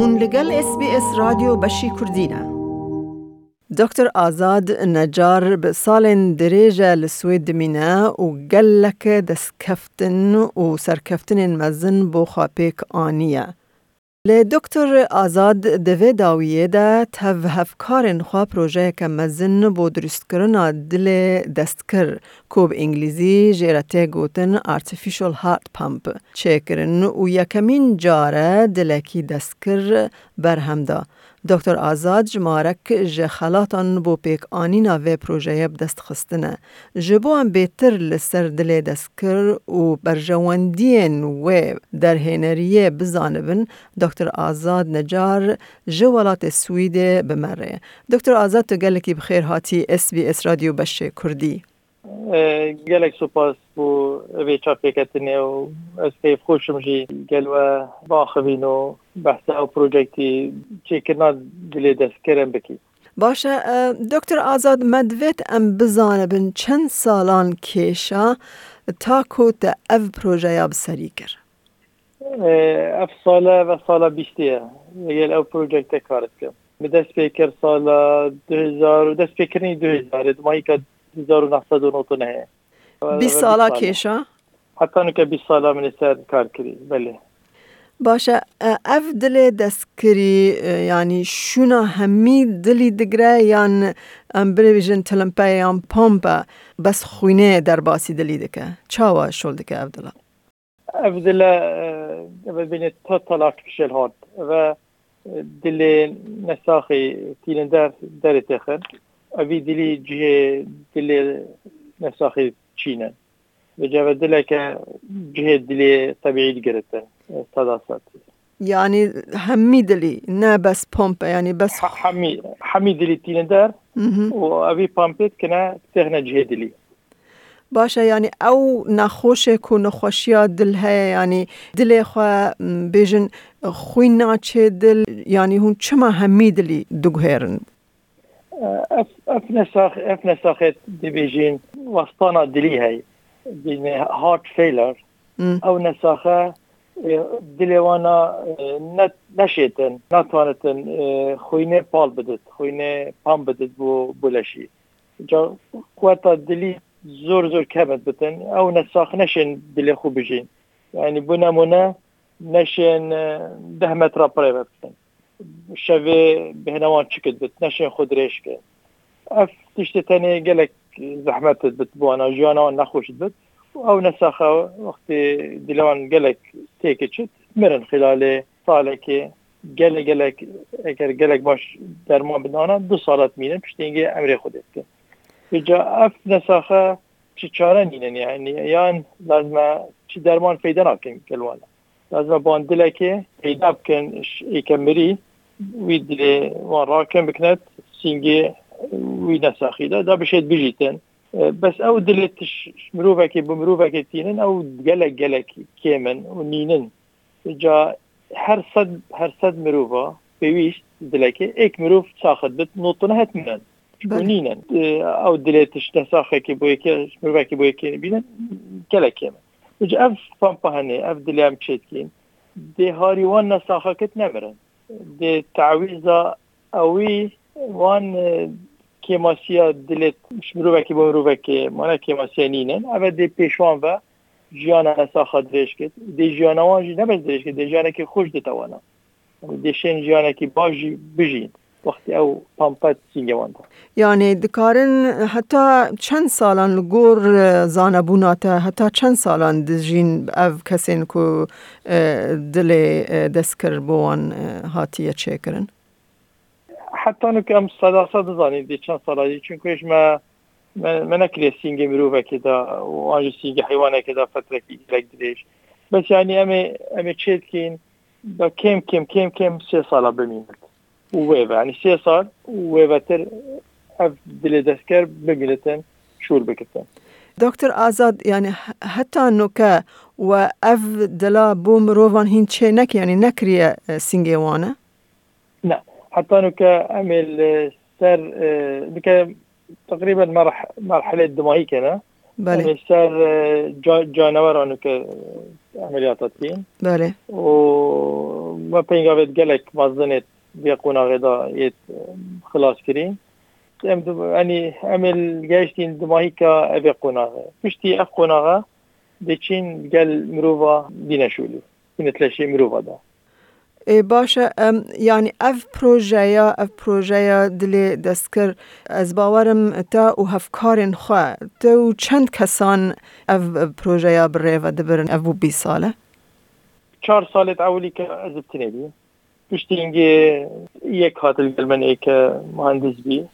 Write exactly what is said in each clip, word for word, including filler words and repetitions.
Hûn li gel S B S Radyo Beşî Kurdî ne. Doktor Azad Necar bi salên dirêj e li Swêd dimîne û gelek destkeftin û serkeftinên mezin bo xwe pêk aniye. Lê Doktor Azad di vê dawiyê de tev hevkarên xwe projeyeke mezin bo dirustkirina dilê dest kir, ku bi îngilîzî jê re tê gotin artificial heart pump, çêkirin û yekemîn car e dilekî dest kir berhem da. Doktor Azad jimarek ji xelatan bo pêkanîna vê projeyê bi dest xistine. Ji bo em bêtir li ser dilê dest kir û berjewendiyên wê derhêneriyê bizanibin, Doktor Azad Necar ji welatê Swîdê bi me re ye. Doktor Azad, tu gelekî bi xêr hatî S B S Radyo Beşê Kurdî. E, gelek spas bo vê çavpêketinê û ez keyfxweş im jî gel we biaxivîn û behsa ew projektî çêkirina dilê destkirin bikî. Baş e, e, Doktor Azad, me divêt em bizanibin çend salan kêşa ta ku te ev projeya bi serî kir? E, ev sale, ev sala bîstê ye. Li gel ew projekte kar dikim. Min dest pê kir sala du hezar û dest pêkirinî du hezar, di mayîka du hezar û neh sed û nod û nehê. Bîst sala kêşa? Heta nuke bîst sala min li ser kar kirî, belê. Baş e, e, ev dilê destkirî, e, yanî şûna hemî dilî digire yan em bibêjin tilimpeyê yan pompe bes xwînê derbasî dilî dike? Çawa şol dike ev dila? Ev dile, e, ev bêne total artificial heart. Ev, e, dilê nesaxî tînin der, derê têxin. Evî dilî cihê dilê nesaxî çînin. Vêca ev dileke cihê dilê tebîî digiritin, e, seda sed. Yanî hemî dilî, ne bes pompe, yanî bes Ha-, hemî, hemî dilî tînin der Mhm. û evî pompê dikine, têxine cihê dilî. Baş e, yanî ew nexweşê ku nexweşiya dil heye, yanî dilê xwe, m, bêjin xwîn naçê dil, yanî hûn çima hemî dilî diguhêrin? Ev, ev nesax-, ev nesaxê dibêjin westana dilî heye. Bêjin heart failure. Hmm. Ew nesaxe, e, dilê wana, e, ne, neşêtin, natwanitin, e, xwînê pal bidit, xwînê pam bidit bo, bo leşî. Ca quweta dilî zor zor kevin bitin. Ew nesax neşên dilê xwe bijîn. Yani bu nemûne neşên, e, deh metra pirê ve bitin. Şevê bêhna wan çikit bit, neşên xwe dirêj kin. Ev tiştê tenê gelek zehmet bit bo wana, jiyana wan nexweş bit. Ew nesaxa wextê dilê wan gelek têkê çit, mirin xilalê salekê. Gelek, gelek, eger gelek baş derman bidana, du sala dimînin, piştî hingê emrê xwe dê dikin. Vêca ev nesaxe çi çare nînin, yani, yan lazim e çi derman peyda nakin gel wana. Lazim e ban dilekê peyda bikin, ş-, êke mirî, wî dilê wan rakin bikinet, sîngê wî nesaxî de, da bişêt bijîtin. E, bes ew dilê tiş-, mirovekê bi mirovekê tînin, ew gelek, gelek kêm in û nînin. Ca her sed, her sed mirova pêwîst dilekê êk mirov saxit bit, notine het mirin. Çiko Belê. nînin. E, ew dilê tişt nesaxekê bo yekê, mirovekê bo yekê bînin, gelek kêm in. Ji ev pampa henê, ev dilê em çêdikîn, dê harî wan nesaxekit nemirin. Dê tawîza ewî wan, e, kêmasiya dilê ji mirovekî bo mirovekê, mane kêmasiya nînin. Ev e dê pêşwan ve jiyana nesaxa dirêj kit. Dê jiyana wan jî ne bes dirêj kit, dê jiyanekî xweş dite wana. Dê şên jiyanekî baş jî bijîn. Wextê ew pampet sîngê wan da. Yani dikarin heta çend salan li gor, e, zanebûna te, heta çend salan dijîn ev kesên ku, e, dilê, e, destkir bo wan, e, hatiye çêkirin? Heta nuke em seda sed dizanîn dê çend sala jî, çunku hêj me, me, me nekiriye sîngê mirovekê de û an jî sîngê heywanekê de fetrekî gelek dirêj. Bes yanî em ê, em ê çê dikîn, da kêm kêm, kêm kêm sê sala bimînit. Û wê ve, yanî sê sal û wê vetir ev dilê destker bimînitin, şûr bikitin. Doktor Azad, yani he-, heta nuke we ev dila bo mirovan hîn çê neke, yani nekiriye, e, sîngê wan e? Ne. Heta nuke em ê li ser, e, nuke teqrîben merh-, merhelê dimayî kene. Belê. Em ê ser, e, ca-, caneweran û ke, e, emeliyata dikîn. Belê. Û me pêngavê gelek mezin ê vê qonaxê de yê, e, xilas kirîn. Em di, yanî em ê gehiştîn di mahîka evê qonaxê. Piştî ev qonaxa dê çîn gel mirova bîne şûlî. Bîne tleşê mirova de. Ê, baş e, em, yanî ev projeya, ev projeya dilê destkir, ez bawerim te û hevkarên xwe, te û çend kesan ev projeya bi rê ve dibirin, ev bû bîst sal e? Çar salê ewilî ke ez bi tinê bî. Piştî hingê yek hat li gel min ê ke muhendis bî.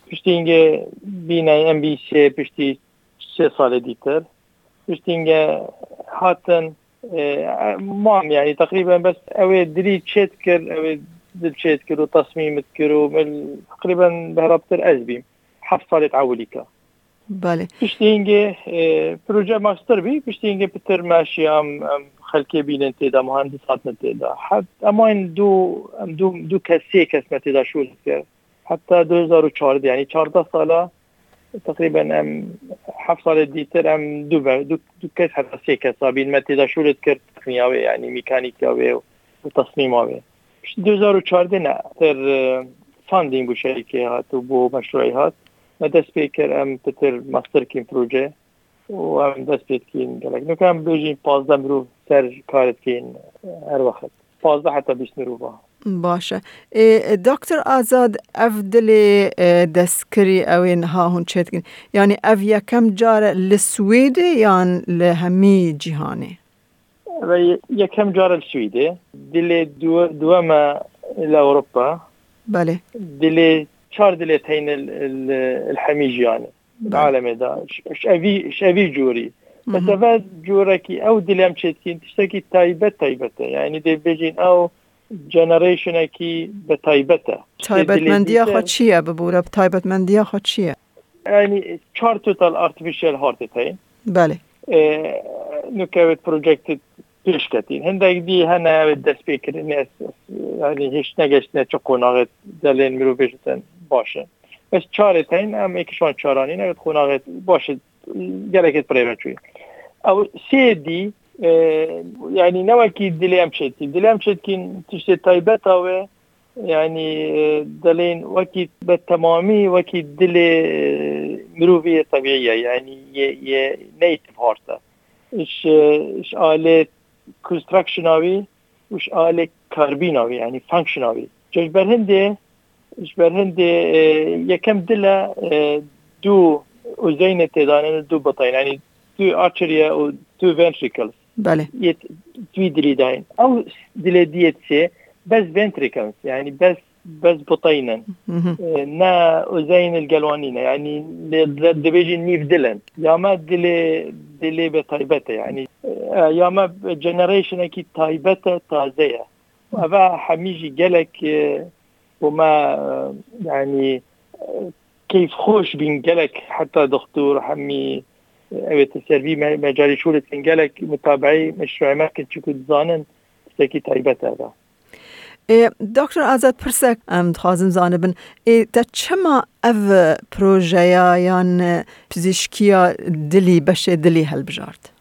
Piştî hingê bîne em bî sê, piştî sê salê dîtir. Piştî hingê hatin, e, mam, yanî teqrîben bes ew ê dilî çê dikir, ew ê dil çê dikir û tesmîm dikir û min teqrîben behraptir ez bîm. Heft salê ewilî ke. Belê. Piştî hingê, e, proje master bî, piştî hingê pitir me şiyam, em xelkê bînin tê de, muhendis hatine tê de. He, em ayên du, em du, du kes, sê kes me tê de şûl dikir. Heta du hezar û çardeh, yanî çardeh sala, teqrîben em heft salê dîtir em du be, du, du kes heta sê kes bîn me tê de şûl dikir, tekniya wê, yanî mîkanîka wê û tesmîma wê. Piştî du hezar û çardeh ne, ter, e, funding bû şerîkê hat û bû meşruî hat. Me dest pê kir, em pitir master kîn proje û em dest pê dikîn gelek. Nuke em bêjîn pazdeh mirov ser kar dikîn her wext. Pazdeh heta bîst mirov a. Baş e. Ê, Doktor Azad, ev dilê, e, destkirî ew ê niha hûn çêdikin. Yanî ev yekem car e li Swêdê yan li hemî cîhanê? Ve ye-, yekem car li Swîdê. Dilê duwe-, duweme li Ewropa. Belê. Dilê, çar dilê teyne li, li, li hemî jiyanê. Belê. Alemê de. Ş-, ş-, evî, ş-, evî cûrî. Hı hı. Mesela curekî ew dilê em çêdikîn, tiştekî taybet taybet e. Yani dê bêjin ew generationekî bi taybet e. Tiştê dilê Taybetmendiya dîtir xwe çi ye bibûre? Taybetmendiya xwe çi ye? Yani çar total artificial heartê teyîn. Belê. E, nuke wê project pêş ketîn. Hindek dî hene wê destpêkirinê, yani hiç negeştine çi qonaxê delên mirov bêjin baş e. Bes çarê teyîn em êk ji wan çaranî ne qonaxê baş e, gelekê pirê ve çûyî. Ew sê dî, e, yani ne wekî dilê em çêdikîn. Dilê em çêdikîn tiştê taybeta wê, yani, e, delên wekî be temamî wekî dilê, e, mirovî yê tebîî ye, yani yê, yê native heart e. Ji, ji alê constructiona wî û ji alê karbîna wî, yani functiona wî. Ji ber hindê, ji ber hindê, e, yekem dil e, e, du uzeynê têdanin, du biteyne, yani du arterie û du ventricles. Belê. Yê t-, twî dilî dayîn. Ew dilê diyê sê, bes ventricles, yani bes, bes biteynin. Hı hı. E, ne uzeyn li gel wan nîne, yani lê di-, dibêjin nîv dilin. Ya me dilê, dilê be taybet e, yani, e, ya me generationekî taybet e, taze ye. Eve hemî jî gelek, e, bo me, e, yani, e, keyfxweş bîn gelek, heta doktor hemî, e, ew ê te ser vî me-, mecalî şûl dikin, gelek mutabeî meşruê me dikin, çiku dizanin tiştekî taybet e eve. Ê, Doktor Azad, pirsek em dixwazim zanibin, ê, te çima ev projeya yan, e, pizîşkiya dilî, beşê dilî helbijart?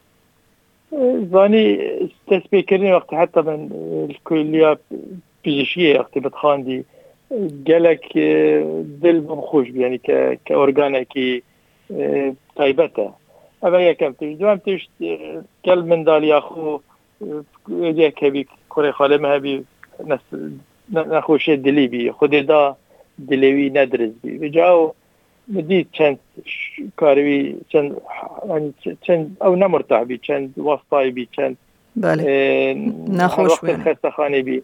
Zanî, destpêkirinê wextê heta min, e, li kuliya pizîşkiyê wextê min dixwandî, e, gelek, e, dil bi xweş bû, yanî ke, ke organekî, e, taybet e. Ev e yekem tişt. Duhem tişt, e, gel mindaliya xwe, e, êdî yek hebî, kurê xalê min hebî, nes-, ne-, nexweşiyê dilî bî. Xwedê da dilê wî nediriz bî. Vêca ew Min dît çend ş-, karî wî, çend, yanî ç-, çend ew ne murtah bî, çend westayî bî, çend, Belê. e, Nexweş her wextê bû, yanî. Xestexanê bî.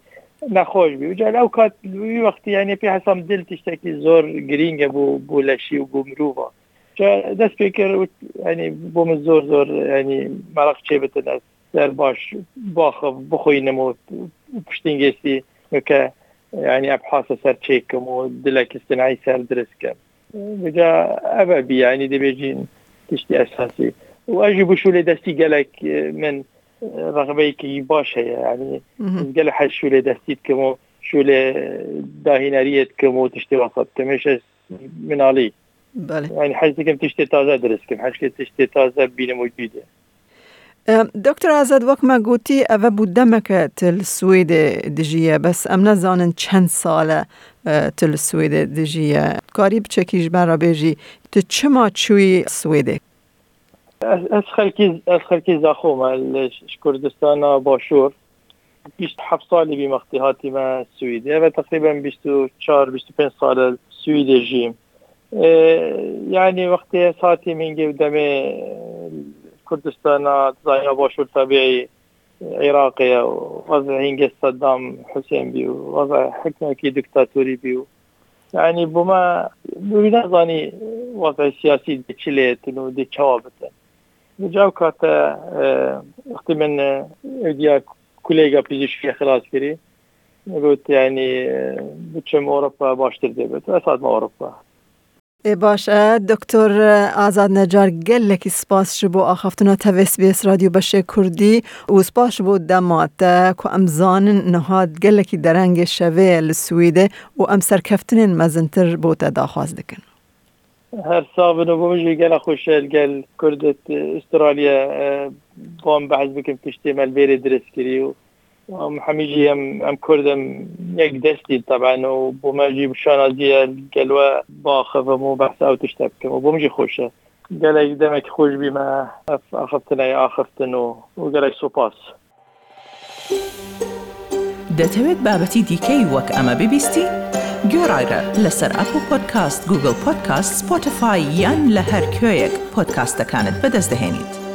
Nexweş bî. Ca ew kat wî wextî, yanî pê hesam dil tiştekî zor girîng e bo, bo leşî û bo mirova. Ca dest pê kir û, yanî bo min zor zor, yanî meraq çê bitin ez ser baş baxif bixwînim û, û piştî hingê sî nuke, yanî ebhasa ser çêkim û dilek îstinayî ser dirist kim. Vêca ev e bî, yanî dibêjin tiştî esasî. Û ez jî bi şûlê destî gelek, e, min, e, rexbeyekî baş heye. Yanî Mhm. ez gelek hez şûlê destî dikim û şûlê dahîneriyê dikim û tiştê wesa dikim. Hêj ez minalî Belê. Yani hez dikim tiştê taze dirist kim, hez dikim tiştê taze bînim û cî de. Em, Doktor Azad, wek me gotî, eve bû demeke tu li Swêdê dijiye, bes em nezanin çend sal e, e, tu li Swêdê dijiye. Karî piçekî ji me re bêjî, tu çima çûyî Swêdê? Ez, ez xelkî, ez xelkî Zaxo me, li ş-, Kurdistana Başûr. Bîst heft salî bî wextê hatîme Swêdê. Eve teqrîben bîst û çar, bîst û pênc sal e Swêdê jîm. E, yani wextê ez hatîm hingê demê Kurdistana, zaya Başûr tabiî Iraqê ye û wezî hingê Seddam Husên bî û wezî hikmekî diktatorî bî û yani bo me wî nezanî wezî siyasî dê çi lê yetin û dê çawa bitin. Li cawka te, e, wextê min, e, êdiya kulêga pizîşkiyê xilas kirî, min got, yani, e, biçim Ewropa baştir dê bit. Ez hatime Ewropa. Ê baş e, Doktor Azad Necar, gelekî spas ji bo axaftina te vê S B S Radyo Beşê Kurdî û spas ji bo dema te ku em zanin niha gelekî derengê şevê ye li Swêdê û em serkeftinên mezintir bo te daxwaz dikin. Her sax bin û bo min jî gelek xweş e li gel Kurd û Australya, e, bo em behs bikim tiştê me li vêrê dirist kirî û em hemî jî em, em Kurd em yek destî teben û bo me jî bi şanazî ye li gel we biaxivim û behsa ew tişte bikim û bo min jî xweş e. Gelek demekî xweş bî me ev axiftineyê axiftin û, û gelek sopas. دەتەوێت بابەتی دیکەی وەک ئەمە ببیستی؟ گوێڕایرە لەسەر ئەپڵ پۆدکاست، گوگڵ پۆدکاست، سپۆتیفای یان لە هەر کوێیەک پۆدکاستەکانت بەدەست دەهێنیت.